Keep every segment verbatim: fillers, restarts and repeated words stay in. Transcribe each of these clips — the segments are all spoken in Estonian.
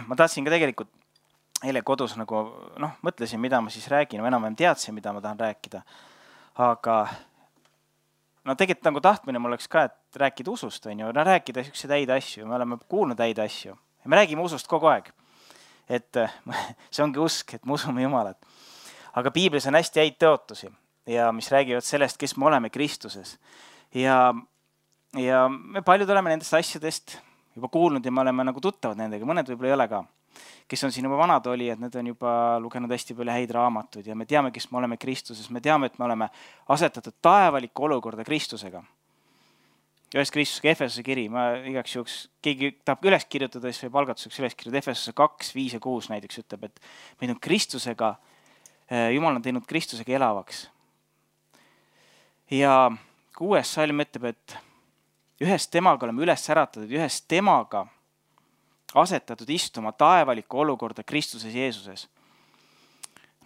ma tahtsin ka tegelikult eile kodus nagu, noh, mõtlesin, mida ma siis räägin, või enam-vähem teadsin, mida ma tahan rääkida. Aga no tegelikult nagu tahtmine mul oleks ka, et rääkida usust, on ju, no rääkida selliseid häid asju, me oleme kuulnud häid asju. Ja me räägime usust kogu aeg. Et see ongi usk, et me usume Jumalat. Aga piiblis on hästi häid tõotusi, ja mis räägivad sellest, kes me oleme Kristuses. Ja, ja me paljud oleme nendest asjadest juba kuulnud ja me oleme nagu tuttavad nendega, mõned võib-olla ei ole ka. Kes on siin juba vanad oli, et need on juba lugenud hästi palju häid raamatuid ja me teame, kes me oleme Kristuses. Me teame, et me oleme asetatud taevalikku olukorda Kristusega. Ühes Kristusega Efesose kiri, ma igaks juhuks, keegi tahab üles kirjutada, siis võib algatuseks üles kirjutada. Efesose kaks, viis ja kuus näiteks ütleb, et meid on Kristusega, Jumal on teinud Kristusega elavaks. Ja kuues salm ütleb, et ühes temaga oleme üles äratatud, ühes temaga asetatud istuma taevalikku olukorda Kristuses Jeesuses.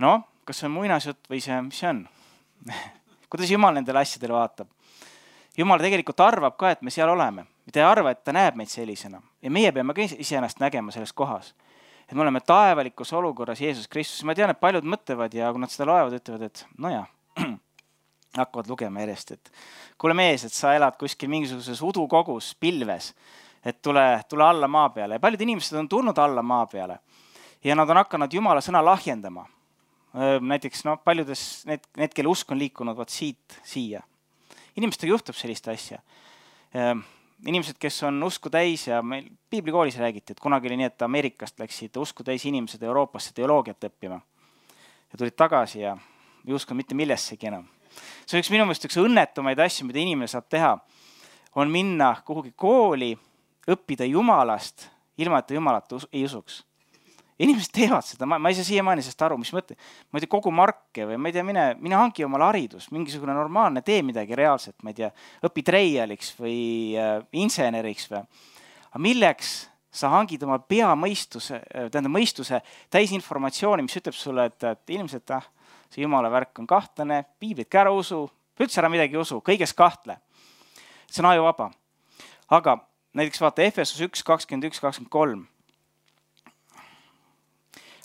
No, kas see on muinasjutt või see, mis see on? Kuidas Jumal nendele asjadele vaatab? Jumal tegelikult arvab ka, et me seal oleme. Ta ei arva, et ta näeb meid sellisena. Ja meie peame ka iseennast nägema selles kohas. Et me oleme taevalikus olukorras Jeesus Kristus. Ma tean, et paljud mõtlevad ja kui nad seda loevad, ütlevad, et no jah, hakkavad lugema järjest, et kuule mees, et sa elad kuskil mingisuguses udukogus, pilves, et tule, tule alla maa peale. Ja paljud inimesed on tulnud alla maa peale ja nad on hakanud Jumala sõna lahjendama. Näiteks no, paljudes need, need, kelle usk on liikunud vaat siit siia. Inimestega juhtub sellist asja. Inimesed, kes on usku täis ja meil piiblikoolis räägiti, et kunagi oli nii, et Ameerikast läksid usku täis inimesed Euroopasse teoloogiat õppima ja tulid tagasi ja ei uskunud mitte millessegi enam. See on üks minu meelest üks õnnetumaid asju, mida inimene saab teha, on minna kuhugi kooli, õppida Jumalast, ilma et ta Jumalat ei usuks. Inimesed teevad seda, ma, ma ei saa siiamaani sest aru, mis mõte. Ma ei tea, kogu marke või ma ei tea, mine, mine hangi omale haridus, mingisugune normaalne, tee midagi reaalselt, ma ei tea, õpi treialiks või äh, inseneriks või. Aga milleks sa hangid oma pea mõistuse, tähendab mõistuse täis informatsiooni, mis ütleb sulle, et, et ilmselt ah, see Jumala värk on kahtlane, piiblit ka ära usu, üldse ära midagi usu, kõiges kahtle. See on ajuvaba. Aga näiteks vaata Efesos üks, kakskümmend üks, kakskümmend kolm.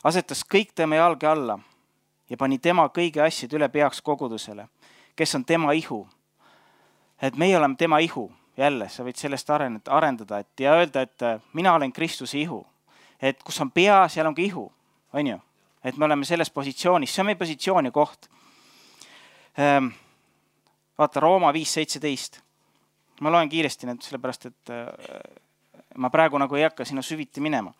Asetas kõik tema jalge alla ja pani tema kõigi asjad üle peaks kogudusele, kes on tema ihu. Et meie oleme tema ihu. Jälle, sa võid sellest arendada et, ja öelda, et mina olen Kristuse ihu. Et kus on pea, seal on ka ihu. On ju? Et me oleme selles positsioonis. See on meie positsiooni koht. Ähm, vaata, Rooma viis seitseteist. Ma loen kiiresti need, sellepärast, et ma praegu nagu ei hakka sinna süviti minema.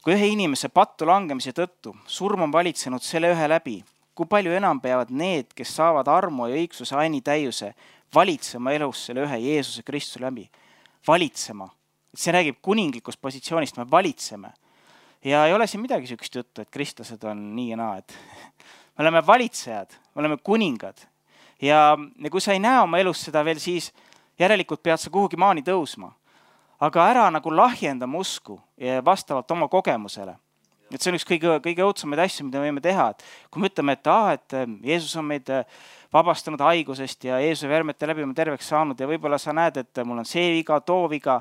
Kui ühe inimese pattu langemise tõttu surm on valitsenud selle ühe läbi, kui palju enam peavad need, kes saavad armu ja õigsuse aini täiuse, valitsema elus selle ühe Jeesuse Kristuse läbi. Valitsema. See räägib kuninglikust positsioonist, me valitseme. Ja ei ole siin midagi sükest juttu, et kristlased on nii ja naa. Et me oleme valitsejad, me oleme kuningad. Ja, ja kui sa ei näe oma elus seda veel, siis järelikult pead sa kuhugi maani tõusma. Aga ära nagu lahjendama usku ja vastavalt oma kogemusele. Et see on üks kõige, kõige õudsamaid asju, mida me võime teha. Et kui me ütleme, et, ah, et Jeesus on meid vabastanud haigusest ja Jeesuse vermete läbi on terveks saanud ja võib-olla sa näed, et mul on see viga, too viga,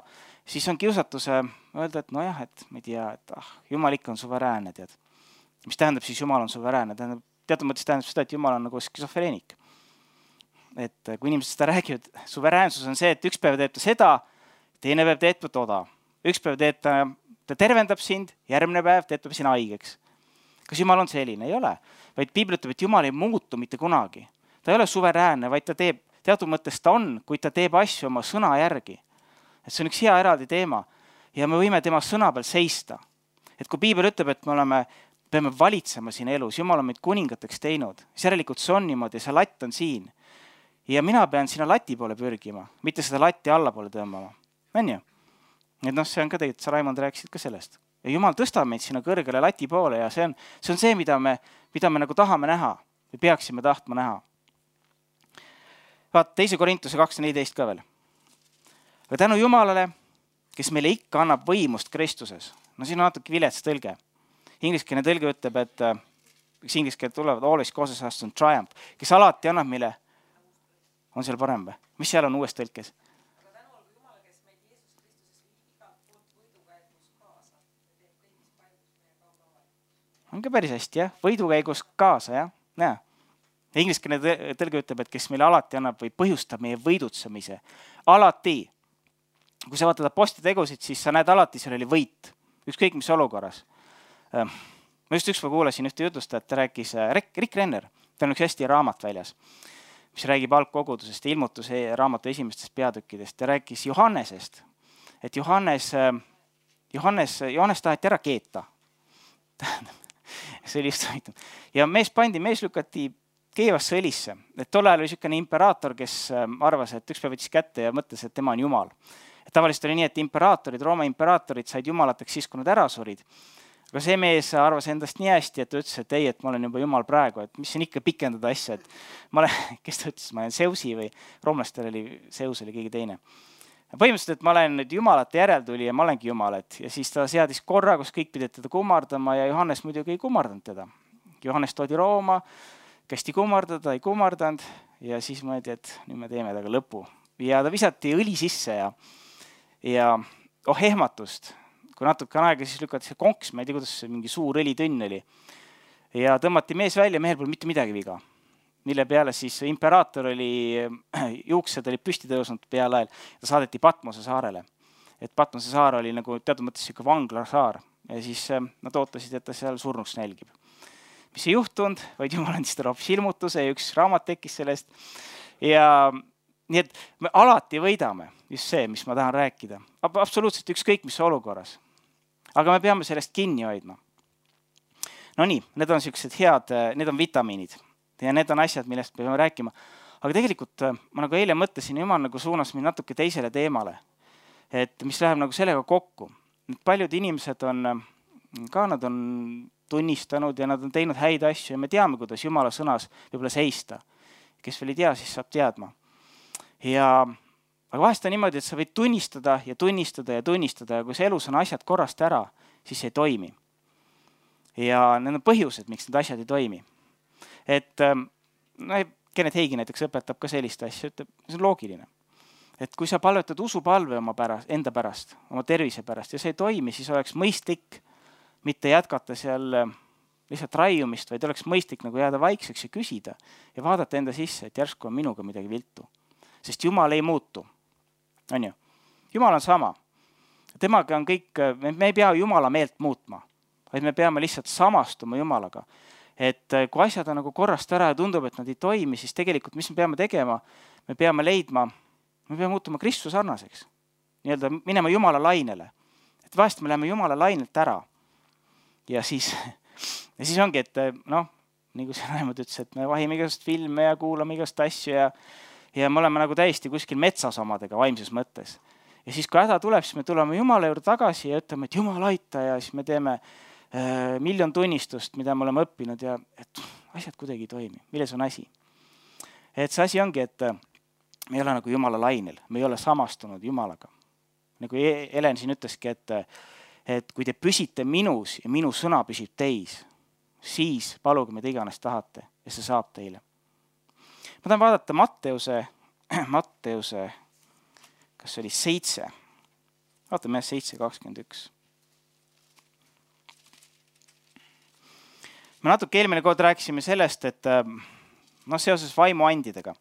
siis on kiusatuse öelda, et nojah, et ma ei tea, et ah, Jumal ikka on suveräänne, tead. Mis tähendab siis Jumal on suveräänne? Tähendab, teatud mõttes tähendab seda, et Jumal on nagu skisofreenik. Et kui inimesed seda räägivad, suveräänsus on see, et üks päev teeb ta seda, teine päev teeb ta toda. Üks päev teeb ta, ta tervendab sind, järgmine päev teeb ta sind haigeks. Kas Jumal on selline? Ei ole. Vaid Piibel ütleb, et Jumal ei muutu mitte kunagi. Ta ei ole suveräänne, vaid ta teeb, teatud mõttes ta on, kuid ta teeb asju oma sõna järgi. Et see on üks hea eraldi teema ja me võime tema sõna peal seista. Et kui Piibel ütleb, et me oleme, peame valitsema siin elus, Jumal on meid kuningateks teinud, siis järelikult see on niimoodi, see latt on siin. Ja mina pean sinna lati poole pürgima, mitte seda latti alla poole tõmbama. On ju? Et noh, see on ka tegelikult, sa Raimond rääkisid ka sellest. Ja Jumal tõstab meid sinna kõrgele lati poole ja see on see, on see mida, me, mida me nagu tahame näha või peaksime tahtma näha. Vaat teise Korintuse kaks neliteist ka veel. Aga tänu Jumalale, kes meile ikka annab võimust Kristuses. No siin on natuke vilets tõlge. Ingliskeelne tõlge ütleb, et üks ingliskeelne tulevad always causes us to triumph, kes alati annab meile, on seal parem või? Mis seal on uues tõlkes? Aga tänu olgu Jumala, kes meid Jeesus Kristuses igalt poolt võiduga jätmus kaasa ja teeb on ka päris hästi, jah. Võidukäigus kaasa, jah. Näe. Ingliskeelne tõlge ütleb, et kes meile alati annab või põhjustab meie võidutsemise. Alati. Kui sa vaatad Apostli tegusid, siis sa näed alati, seal oli võit. Ükskõik mis olukorras. Ma just ükspäev kuulasin ühte jutustajat, ta rääkis Rick Renner. Ta on üks hästi raamat väljas, mis räägib algkogudusest ja ilmutuse raamatu esimestest peatükkidest. Ta rääkis Johannesest, et Johannes, Johannes, Johannes taheti ära keeta. See oli just huvitav. Ja mees pandi, mees lükati keevasse õlisse. Et tol ajal oli selline imperaator, kes arvas, et üks päev võttis kätte ja mõtles, et tema on jumal. Et tavaliselt oli nii, et imperaatorid, Rooma imperaatorid said jumalateks siis, kui nad ära surid. Aga see mees arvas endast nii hästi, et ta ütles, et ei, et ma olen juba jumal praegu, et mis siin ikka pikendada asja, et ma olen, kes ta ütles, ma olen Zeusi või roomlastel oli, Zeus oli keegi teine. Põhimõtteliselt, et ma olen nüüd jumalate järeltuli ja ma olengi jumal, et ja siis ta seadis korra, kus kõik pidid teda kummardama ja Johannes muidugi ei kummardanud teda. Johannes toodi Rooma, kästi kummardada, ei kummardanud ja siis mõeldi, et nüüd me teeme taga lõpu. Ja ta visati õli sisse ja, ja oh ehmatust. Kui natuke aega, siis lükati see konks, ma ei tea, kuidas see mingi suur õlitõnn oli. Ja tõmmati mees välja, mehel pole mitte midagi viga. Mille peale siis imperaator oli, juuksed oli püsti tõusnud peale ajal, ta saadeti Patmose saarele. Et Patmose saar oli nagu teatud mõttes siuke vanglasaar ja siis nad ootasid, et ta seal surnuks nälgib. Mis ei juhtunud, vaid jumal andis talle hoopis ilmutuse ja üks raamat tekkis sellest. Ja nii et me alati võidame, just see, mis ma tahan rääkida. Absoluutselt ükskõik, mis olukorras. Aga me peame sellest kinni hoidma. No nii, need on sellised head, need on vitamiinid ja need on asjad, millest me peame rääkima. Aga tegelikult ma nagu eile mõtlesin, jumal nagu suunas mind natuke teisele teemale, et mis läheb nagu sellega kokku. Paljud inimesed on, ka nad on tunnistanud ja nad on teinud häid asju ja me teame, kuidas Jumala sõnas võib-olla seista. Kes veel ei tea, siis saab teadma. Ja aga vahest on niimoodi, et sa võid tunnistada ja tunnistada ja tunnistada ja kui see elus on asjad korrast ära, siis ei toimi. Ja need on põhjused, miks need asjad ei toimi. Et no, Kenneth Hagin näiteks õpetab ka sellist asja, ütleb, see on loogiline. Et kui sa palvetad usupalve oma pärast, enda pärast, oma tervise pärast ja see ei toimi, siis oleks mõistlik mitte jätkata seal lihtsalt raiumist, vaid oleks mõistlik nagu jääda vaikseks ja küsida ja vaadata enda sisse, et järsku on minuga midagi viltu. Sest Jumal ei muutu. On ju? Jumal on sama. Temaga on kõik, me ei pea Jumala meelt muutma, vaid me peame lihtsalt samastuma Jumalaga. Et kui asjad on nagu korrast ära ja tundub, et nad ei toimi, siis tegelikult mis me peame tegema? Me peame leidma, me peame muutuma Kristuse sarnaseks. Nii-öelda minema Jumala lainele. Et vahest me läheme Jumala lainelt ära. Ja siis, ja siis ongi, et noh, nii kui see Raimond ütles, et me vahime igast filme ja kuulame igast asju ja ja me oleme nagu täiesti kuskil metsas omadega vaimses mõttes. Ja siis kui häda tuleb, siis me tuleme Jumala juurde tagasi ja ütleme, et Jumal aita ja siis me teeme äh, miljon tunnistust, mida me oleme õppinud ja et asjad kuidagi ei toimi. Milles on asi? Et see asi ongi, et me ei ole nagu Jumala lainel, me ei ole samastunud Jumalaga. Nagu Helen siin ütleski, et, et kui te püsite minus ja minu sõna püsib teis, siis paluge mida iganes tahate ja see saab teile. Ma tahan vaadata Matteuse, Matteuse, kas see oli seitse? Vaatame seitse kakskümmend üks. Me natuke eelmine kord rääkisime sellest, et no, seoses vaimuandidega,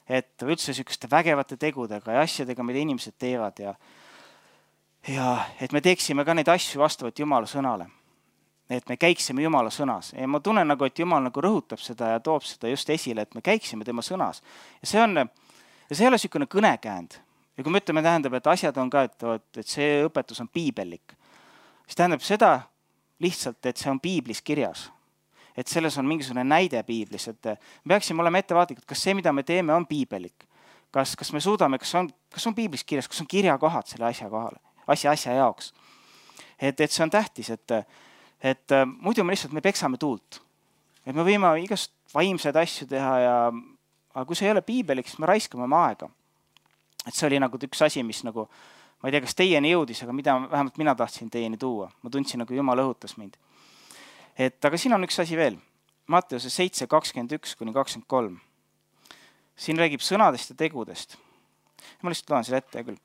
et üldse selliseste vägevate tegudega ja asjadega, mida inimesed teevad ja, ja et me teeksime ka neid asju vastavalt Jumala sõnale. Et me käiksime Jumala sõnas. Ja ma tunnen nagu, et Jumal nagu rõhutab seda ja toob seda just esile, et me käiksime tema sõnas. Ja see on, ja see ei ole selline kõnekäänd. Ja kui me ütleme, tähendab, et asjad on ka, et, et see õpetus on piibellik, siis tähendab seda lihtsalt, et see on piiblis kirjas. Et selles on mingisugune näide piiblis, et me peaksime olema ettevaatlikud, kas see, mida me teeme, on piibellik. Kas, kas me suudame, kas on, kas on piiblis kirjas, kas on kirjakohad selle asja kohale, asja, asja jaoks. Et, et see on tähtis, et Et äh, muidu me lihtsalt me peksame tuult. Et me võime igast vaimseid asju teha, ja, aga kui see ei ole piibelik, siis me raiskame oma aega. Et see oli nagu üks asi, mis nagu, ma ei tea, kas teieni jõudis, aga mida vähemalt mina tahtsin teieni tuua. Ma tundsin, nagu Jumal õhutas mind. Et, aga siin on üks asi veel. Matteuse seitse kakskümmend üks kuni kakskümmend kolm. Siin räägib sõnadest ja tegudest. Ma lihtsalt loen selle ette küll.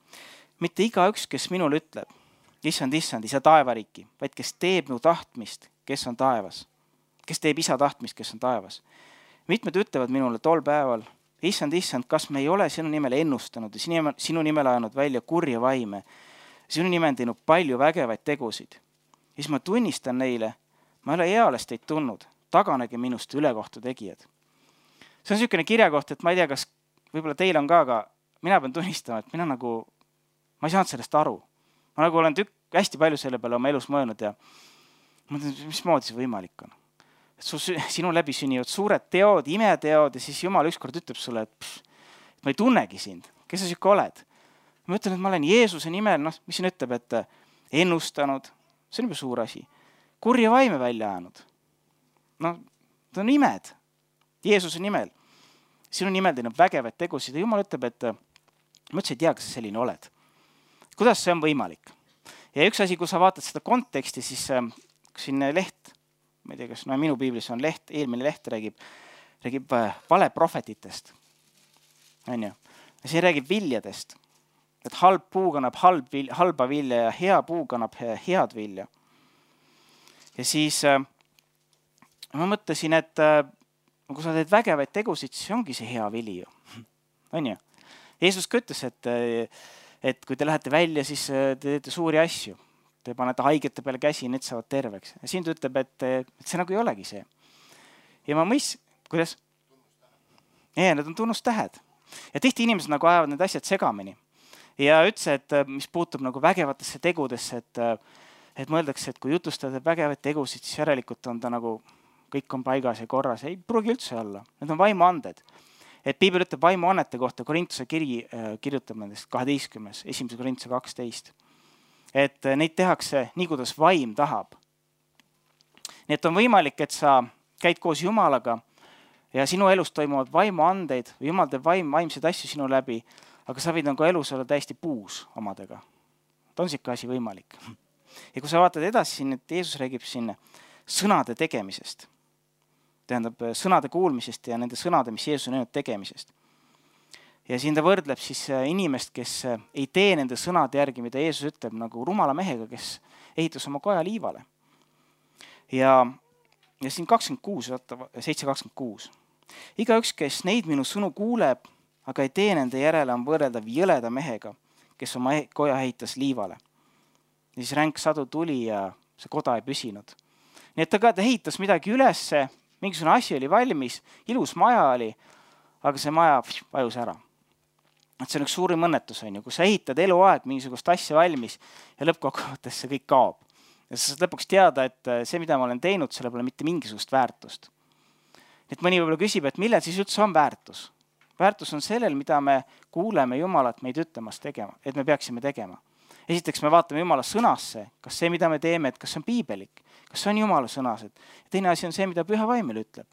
Mitte iga üks, kes minul ütleb, issand, issand, isa taevariiki, vaid kes teeb mu tahtmist, kes on taevas. kes teeb isa tahtmist, kes on taevas. Mitmed ütlevad minule tol päeval, issand, issand, kas me ei ole sinu nimel ennustanud ja sinu nimel ajanud välja kurja vaime, sinu nimel teinud palju vägevaid tegusid. Ja siis ma tunnistan neile, ma ei ole eales teid tulnud, taganege minust ülekohtu tegijad. See on niisugune kirjakoht, et ma ei tea, kas võib-olla teil on ka, aga mina pean tunnistama, et mina nagu, ma ei saanud sellest aru. Ma nagu olen tükk, hästi palju selle peale oma elus mõelnud ja mõtlen, mismoodi see võimalik on. Et su, sinu läbi sünnivad suured teod, imeteod ja siis Jumal ükskord ütleb sulle, et, pff, et ma ei tunnegi sind, kes sa siuke oled. Ma ütlen, et ma olen Jeesuse nimel, noh, mis siin ütleb, et ennustanud, see on juba suur asi, kurja vaime välja ajanud. No, ta on imed, Jeesuse nimel. Sinu nimel teinud vägevaid tegusid ja Jumal ütleb, et ma üldse ei tea, kas sa selline oled. Kuidas see on võimalik? Ja üks asi, kui sa vaatad seda konteksti, siis siin leht, ma ei tea, kas no, minu piiblis on leht, eelmine leht räägib, räägib valeprohvetitest. On ju? Ja see räägib viljadest, et halb puu kannab halb vilja, halba vilja ja hea puu kannab head vilja. Ja siis ma mõtlesin, et kui sa teed vägevaid tegusid, siis ongi see hea vili ju. On ju? Jeesus ka ütles, et, et kui te lähete välja, siis te teete suuri asju. Te panete haigete peale käsi, need saavad terveks. Ja siin ta ütleb, et, et see nagu ei olegi see. Ja ma mõis, kuidas? Ei, need on tunnustähed. Ja tihti inimesed nagu ajavad need asjad segamini. Ja ütles, et mis puutub nagu vägevatesse tegudesse, et, et mõeldakse, et kui jutustada vägevaid tegusid, siis järelikult on ta nagu kõik on paigas ja korras. Ei pruugi üldse olla. Need on vaimuanded. Et Piibel ütleb vaimuannete kohta, Korintuse kiri kirjutab nendest kaheteistkümnes, esimese Korintuse kaksteist. Et neid tehakse nii, kuidas vaim tahab. Nii et on võimalik, et sa käid koos Jumalaga ja sinu elus toimuvad vaimuandeid või Jumal teeb vaim, vaimseid asju sinu läbi, aga sa võid nagu elus olla täiesti puus omadega. Ta on siuke asi võimalik. Ja kui sa vaatad edasi siin, et Jeesus räägib siin sõnade tegemisest, tähendab sõnade kuulmisest ja nende sõnade, mis Jeesus on öelnud tegemisest. Ja siin ta võrdleb siis inimest, kes ei tee nende sõnade järgi, mida Jeesus ütleb nagu rumala mehega, kes ehitas oma koja liivale. Ja, ja siin kakskümmend kuus, seitse kakskümmend kuus. Igaüks, kes neid minu sõnu kuuleb, aga ei tee nende järele, on võrreldav jõleda mehega, kes oma koja ehitas liivale. Ja siis ränk sadu tuli ja see koda ei püsinud. Nii et ta ka ta ehitas midagi ülesse, mingisugune asi oli valmis, ilus maja oli, aga see maja vajus ära. Et see on üks suurim õnnetus, on ju, kui sa ehitad eluaeg mingisugust asja valmis ja lõppkokkuvõttes see kõik kaob. Ja sa saad lõpuks teada, et see, mida ma olen teinud, selle pole mitte mingisugust väärtust. Et mõni võib-olla küsib, et millel siis üldse on väärtus? Väärtus on sellel, mida me kuuleme Jumalat meid ütlemas tegema, et me peaksime tegema. Esiteks me vaatame Jumala sõnasse, kas see, mida me teeme, et kas see on piibelik, kas see on Jumala sõnas. Ja teine asi on see, mida Püha Vaimel ütleb.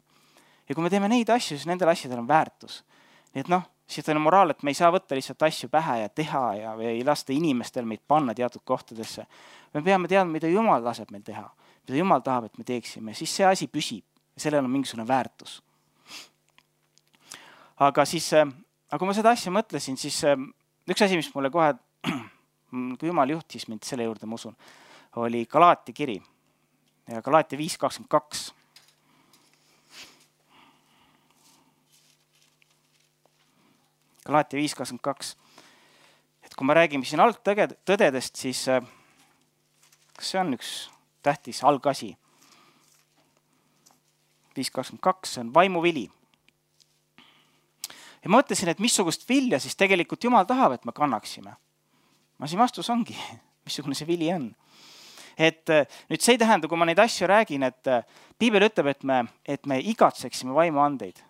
Ja kui me teeme neid asju, siis nendel asjadel on väärtus. Nii et noh, siis on moraal, et me ei saa võtta lihtsalt asju pähe ja teha ja ei lasta inimestel meid panna teatud kohtadesse. Me peame teadma, mida Jumal laseb meil teha, mida Jumal tahab, et me teeksime. Siis see asi püsib ja sellel on mingisugune väärtus. Aga siis, aga kui ma seda asja mõtlesin, siis üks asi, mis mulle kohe, kui Jumal juhtis mind selle juurde, ma usun, oli Galaatia kiri. Ja Galaatia viis kakskümmend kaks. Galaatia viis kakskümmend kaks. Et kui me räägime siin algtõdedest, siis kas see on üks tähtis algasi? viis kakskümmend kaks on vaimuvili. Ja ma mõtlesin, et missugust vilja siis tegelikult Jumal tahab, et me kannaksime. Ma siin vastus ongi, missugune see vili on. Et nüüd see ei tähenda, kui ma neid asju räägin, et Piibel ütleb, et me, et me igatseksime vaimuandeid.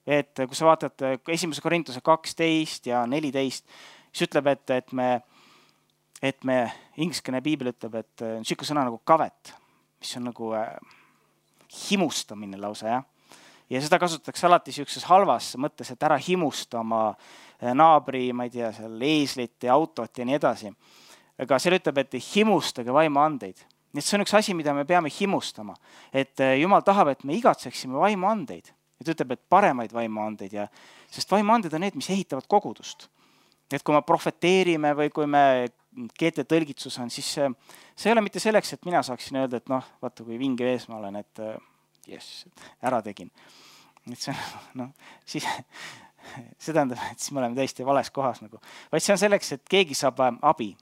Et kui sa vaatad esimese Korintuse kaksteist ja neliteist, siis ütleb, et, et me, et me ingliskene Piibel ütleb, et siuke sõna nagu kavet, mis on nagu himustamine lausa, jah. Ja seda kasutatakse alati siukses halvas mõttes, et ära himusta oma naabri, ma ei tea, seal eeslit ja autot ja nii edasi. Aga seal ütleb, et himustage vaimuandeid. Nii et see on üks asi, mida me peame himustama. Et Jumal tahab, et me igatseksime vaimuandeid. Ja ta ütleb, et paremaid vaimuandeid. Ja, sest vaimuanded on need, mis ehitavad kogudust. Et kui me profeteerime või kui me G T tõlgitsus on, siis see ei ole mitte selleks, et mina saaksin öelda, et noh, vaata kui vinge ees ma olen, et jess, ära tegin. Et see on, noh, siis see tähendab, et siis me oleme täiesti vales kohas nagu. Vaid see on selleks, et keegi saab abi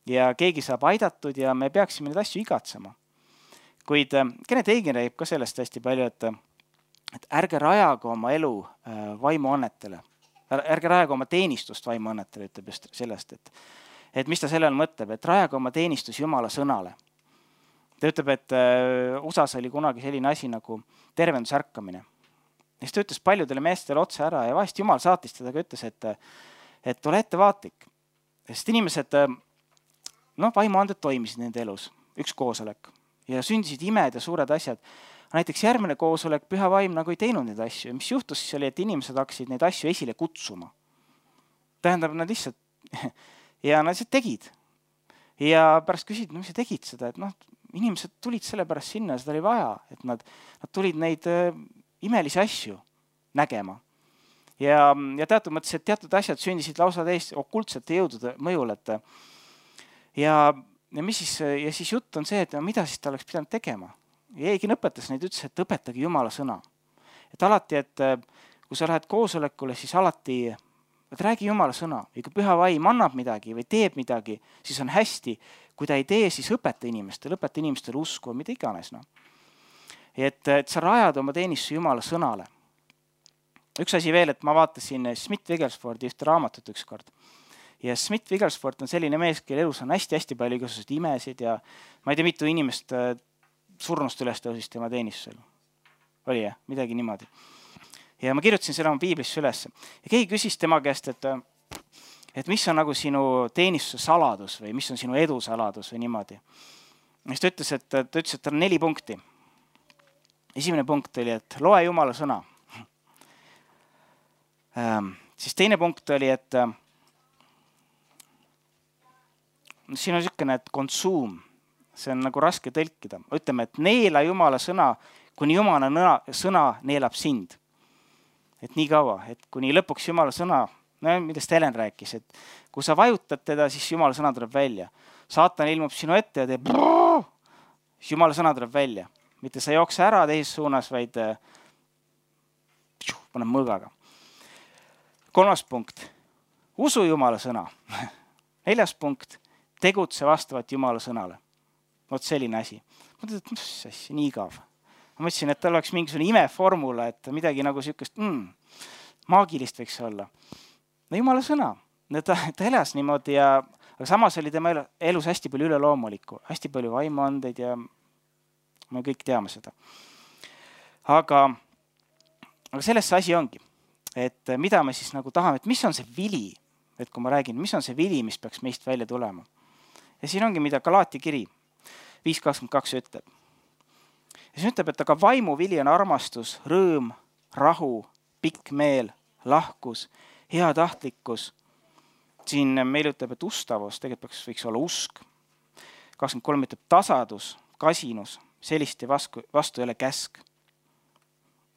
ja keegi saab aidatud ja me peaksime neid asju igatsema. Kuid Kenneth Hagin räägib ka sellest hästi palju, et, et ärge rajaga oma elu vaimuannetele. Ärge rajaga oma teenistust vaimuannetele, ütleb just sellest, et, et mis ta sellel mõtleb, et rajaga oma teenistus Jumala sõnale. Ta ütleb, et U S A-s oli kunagi selline asi nagu tervendusärkamine. Ja siis ta ütles paljudele meestele otsa ära ja vahest Jumal saatis teda ka ütles, et, et ole ettevaatlik. Sest inimesed, noh, vaimuanded toimisid nende elus, üks koosolek. Ja sündisid imed ja suured asjad. Näiteks järgmine koosolek püha vaim nagu ei teinud neid asju. Ja mis juhtus siis oli, et inimesed hakkasid neid asju esile kutsuma. Tähendab, nad lihtsalt, ja nad lihtsalt tegid. Ja pärast küsid, no mis sa tegid seda, et noh, inimesed tulid selle pärast sinna, seda oli vaja, et nad, nad tulid neid äh, imelisi asju nägema. Ja, ja teatud mõttes, et teatud asjad sündisid lausa täiesti okultsete jõudude mõjul, et ja Ja, mis siis, ja siis jutt on see, et no, mida siis ta oleks pidanud tegema. Ja Hagin õpetas neid, ütles, et õpetage Jumala sõna. Et alati, et kui sa lähed koosolekule, siis alati et räägi Jumala sõna. Ja kui püha vaim annab midagi või teeb midagi, siis on hästi. Kui ta ei tee, siis õpeta inimestele, õpeta inimestele usku, mida iganes. No. Et, et sa rajad oma teenistuse Jumala sõnale. Üks asi veel, et ma vaatasin Smith-Wiggleswordi ühte raamatut üks kord. Ja Smith-Wigglesworth on selline mees, kelle elus on hästi-hästi palju igasuguseid imesid ja ma ei tea, mitu inimest surnust üles tõusis tema teenistusel. Oli jah, midagi niimoodi. Ja ma kirjutasin selle oma piiblisse üles. Ja keegi küsis tema käest, et, et mis on nagu sinu teenistuse saladus või mis on sinu edu saladus või niimoodi. Ja siis ta ütles, et, ta ütles, et tal on neli punkti. Esimene punkt oli, et loe Jumala sõna. Ähm, siis teine punkt oli, et siin on niisugune, et konsuum, see on nagu raske tõlkida. Ütleme, et neela Jumala sõna, kuni Jumala sõna neelab sind. Et nii kaua, et kuni lõpuks Jumala sõna, no millest Helen rääkis, et kui sa vajutad teda, siis Jumala sõna tuleb välja. Saatan ilmub sinu ette ja teeb brrrr, siis Jumala sõna tuleb välja. Mitte sa jookse ära teises suunas, vaid paneb mõõgaga. Kolmas punkt, usu Jumala sõna. Neljas punkt, tegutse vastavalt Jumala sõnale. Vot selline asi. Ma mõtlen, et mis asja, nii igav. Ma mõtlesin, et tal oleks mingisugune imeformula, et midagi nagu sükest mm, maagilist võiks olla. No Jumala sõna. Ta, ta elas niimoodi, ja, aga samas oli tema elus hästi palju üleloomulikku, hästi palju vaimuandeid ja me kõik teame seda. Aga, aga selles see asi ongi, et mida me siis nagu tahame, et mis on see vili, et kui ma räägin, mis on see vili, mis peaks meist välja tulema. Ja siin ongi, mida Galaati kiri viis kakskümmend kaks ütleb. Ja siin ütleb, et aga vaimu vili on armastus, rõõm, rahu, pikk meel, lahkus, hea tahtlikkus. Siin meil ütleb, et ustavus, tegelikult võiks olla usk. kakskümmend kolm ütleb tasadus, kasinus, sellist ja vastu, vastu ei ole käsk.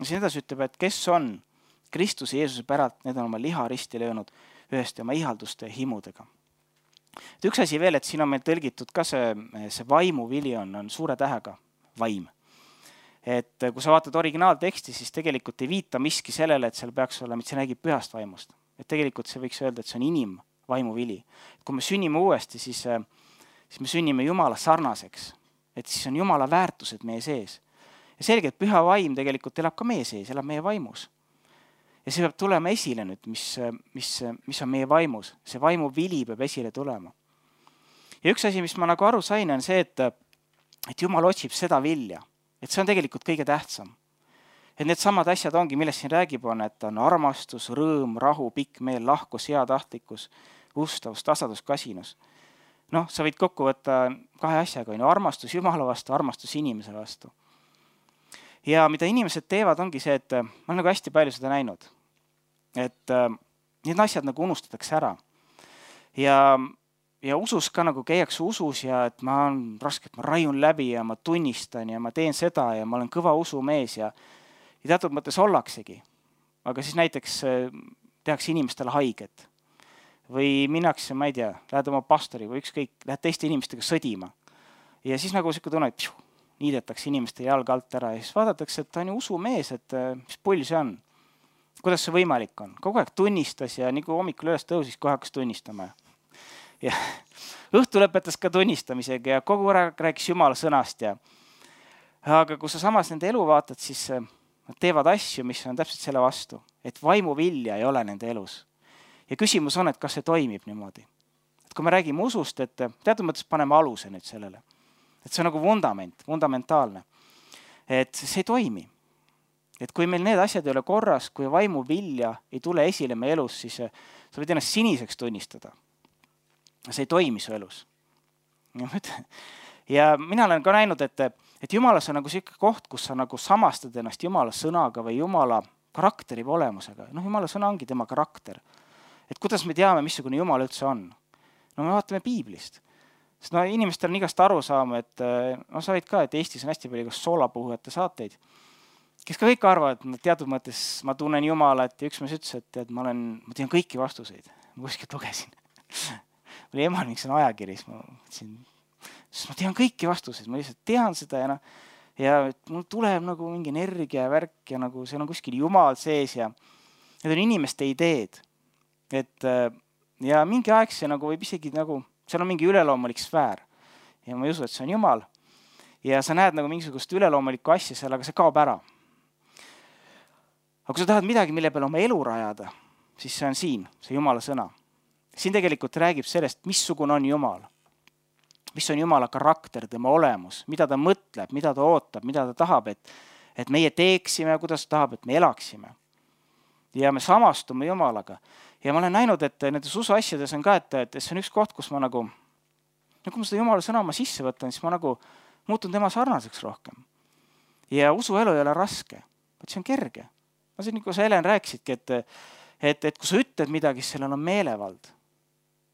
Ja siin edasi ütleb, et kes on Kristuse Jeesuse päralt, need on oma liha risti löönud ühest oma ihalduste ja himudega. Et üks asi veel, et siin on meil tõlgitud ka see, see vaimu vili on, on suure tähega vaim. Et kui sa vaatad originaalteksti, siis tegelikult ei viita miski sellele, et seal peaks olema, et see räägib pühast vaimust. Et tegelikult see võiks öelda, et see on inim vaimu vili. Et kui me sünnime uuesti, siis, siis me sünnime Jumala sarnaseks. Et siis on Jumala väärtused meie sees. Ja selge, et püha vaim tegelikult elab ka meie sees, elab meie vaimus. Ja see peab tulema esile nüüd, mis, mis, mis on meie vaimus. See vaimu vili peab esile tulema. Ja üks asi, mis ma nagu aru sain, on see, et, et Jumal otsib seda vilja. Et see on tegelikult kõige tähtsam. Et need samad asjad ongi, millest siin räägib on, et on armastus, rõõm, rahu, pikk meel, lahkus, hea tahtlikkus, ustavus, tasadus, kasinus. Noh, sa võid kokku võtta kahe asjaga, armastus Jumala vastu, armastus inimese vastu. Ja mida inimesed teevad, ongi see, et ma olen nagu hästi palju seda näinud. Et need asjad nagu unustatakse ära. Ja, ja usus ka nagu käiakse usus ja et ma on raske, et ma raiun läbi ja ma tunnistan ja ma teen seda ja ma olen kõva usumees ja, ja teatud mõttes ollaksegi. Aga siis näiteks tehakse inimestele haiget. Või minnakse, ma ei tea, lähed oma pastori või ükskõik, lähed teiste inimestega sõdima. Ja siis nagu siuke tunne, et pjuh, niidetakse inimeste jalga alt ära ja siis vaadatakse, et ta on ju usumees, et mis pull see on. Kuidas see võimalik on? Kogu aeg tunnistas ja nii kui hommikul üles tõusis, kohe hakkas tunnistama. Ja õhtu lõpetas ka tunnistamisega ja kogu aeg rääkis Jumala sõnast. Ja... Aga kui sa samas nende elu vaatad, siis nad teevad asju, mis on täpselt selle vastu. Et vaimu vilja ei ole nende elus. Ja küsimus on, et kas see toimib niimoodi. Et kui me räägime usust, et teatud mõttes paneme aluse nüüd sellele. Et see on nagu vundament, fundamentaalne. Et see ei toimi. Et kui meil need asjad ei ole korras, kui vaimu vilja ei tule esile meie elus, siis sa võid ennast siniseks tunnistada. See ei toimi su elus. Ja mina olen ka näinud, et, et Jumalas on nagu selline koht, kus sa nagu samastad ennast Jumala sõnaga või Jumala karakteri või olemusega. No Jumala sõna ongi tema karakter. Et kuidas me teame, missugune Jumal üldse on? No me vaatame Piiblist. Sest no inimestel on igast aru saama, et no sa võid ka, et Eestis on hästi palju soolapuhujate saateid, kes ka kõik arvavad, et teatud mõttes ma tunnen Jumalat ja üks mees ütles, et, et ma, olen, ma tean kõiki vastuseid. Ma kuskilt lugesin. Oli emal mingi see ajakirjas, ma mõtlesin, sest ma tean kõiki vastuseid, ma lihtsalt tean seda ja, no, ja mul tuleb nagu mingi energia ja värk ja nagu seal on kuskil Jumal sees ja need on inimeste ideed. Et, ja mingi aeg see nagu võib isegi nagu, seal on mingi üleloomulik sfäär ja ma ei usu, et see on Jumal. Ja sa näed nagu mingisugust üleloomulikku asja seal, aga see kaob ära. Aga kui sa tahad midagi, mille peale oma elu rajada, siis see on siin, see Jumala sõna. Siin tegelikult räägib sellest, missugune on Jumal. Mis on Jumala karakter, tema olemus, mida ta mõtleb, mida ta ootab, mida ta tahab, et, et meie teeksime ja kuidas ta tahab, et me elaksime. Ja me samastume Jumalaga. Ja ma olen näinud, et nendes usu asjades on ka, et, et see on üks koht, kus ma nagu, kui ma seda Jumala sõna oma sisse võtan, siis ma nagu muutun tema sarnaseks rohkem. Ja usuelu ei ole raske, et see on kerge. Ma siin, kui sa Helen rääkisidki, et, et, et kui sa ütled midagi, sellel on meelevald.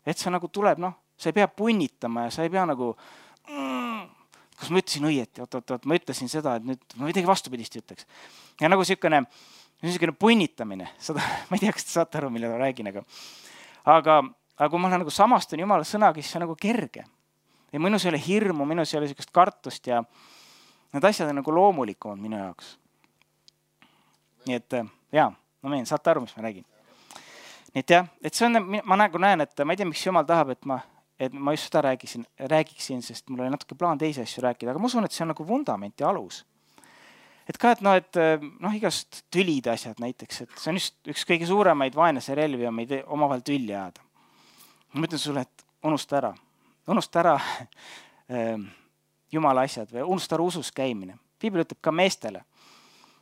Et see nagu tuleb, noh, sa ei pea punnitama ja sa ei pea nagu, mm, kas ma ütlesin õieti, oot, oot, oot, ma ütlesin seda, et nüüd ma midagi vastupidist ütleks. Ja nagu selline, selline punnitamine, seda, ma ei tea, kas te saate aru, mille ma räägin, aga, aga, aga kui ma olen nagu samastan Jumala sõnaga, siis see on nagu kerge. Ja minus ei ole hirmu, minus ei ole sellist kartust ja need asjad on nagu loomulikumad minu jaoks. Nii et, jaa, no meen, saate aru, mis ma räägin. Nii et jah, et see on, ma nagu näen, et ma ei tea, miks Jumal tahab, et ma, et ma just seda räägiksin, räägiksin, sest mul oli natuke plaan teisi asju rääkida, aga ma usun, et see on nagu vundament ja alus. Et ka, et noh, et noh, igast tülide asjad näiteks, et see on just üks kõige suuremaid vaenlase relvi on meid omavahel tülli ajada. Ma mõtlen sulle, et unusta ära, unusta ära Jumala asjad või unusta ära usus käimine. Piibel ütleb ka meestele,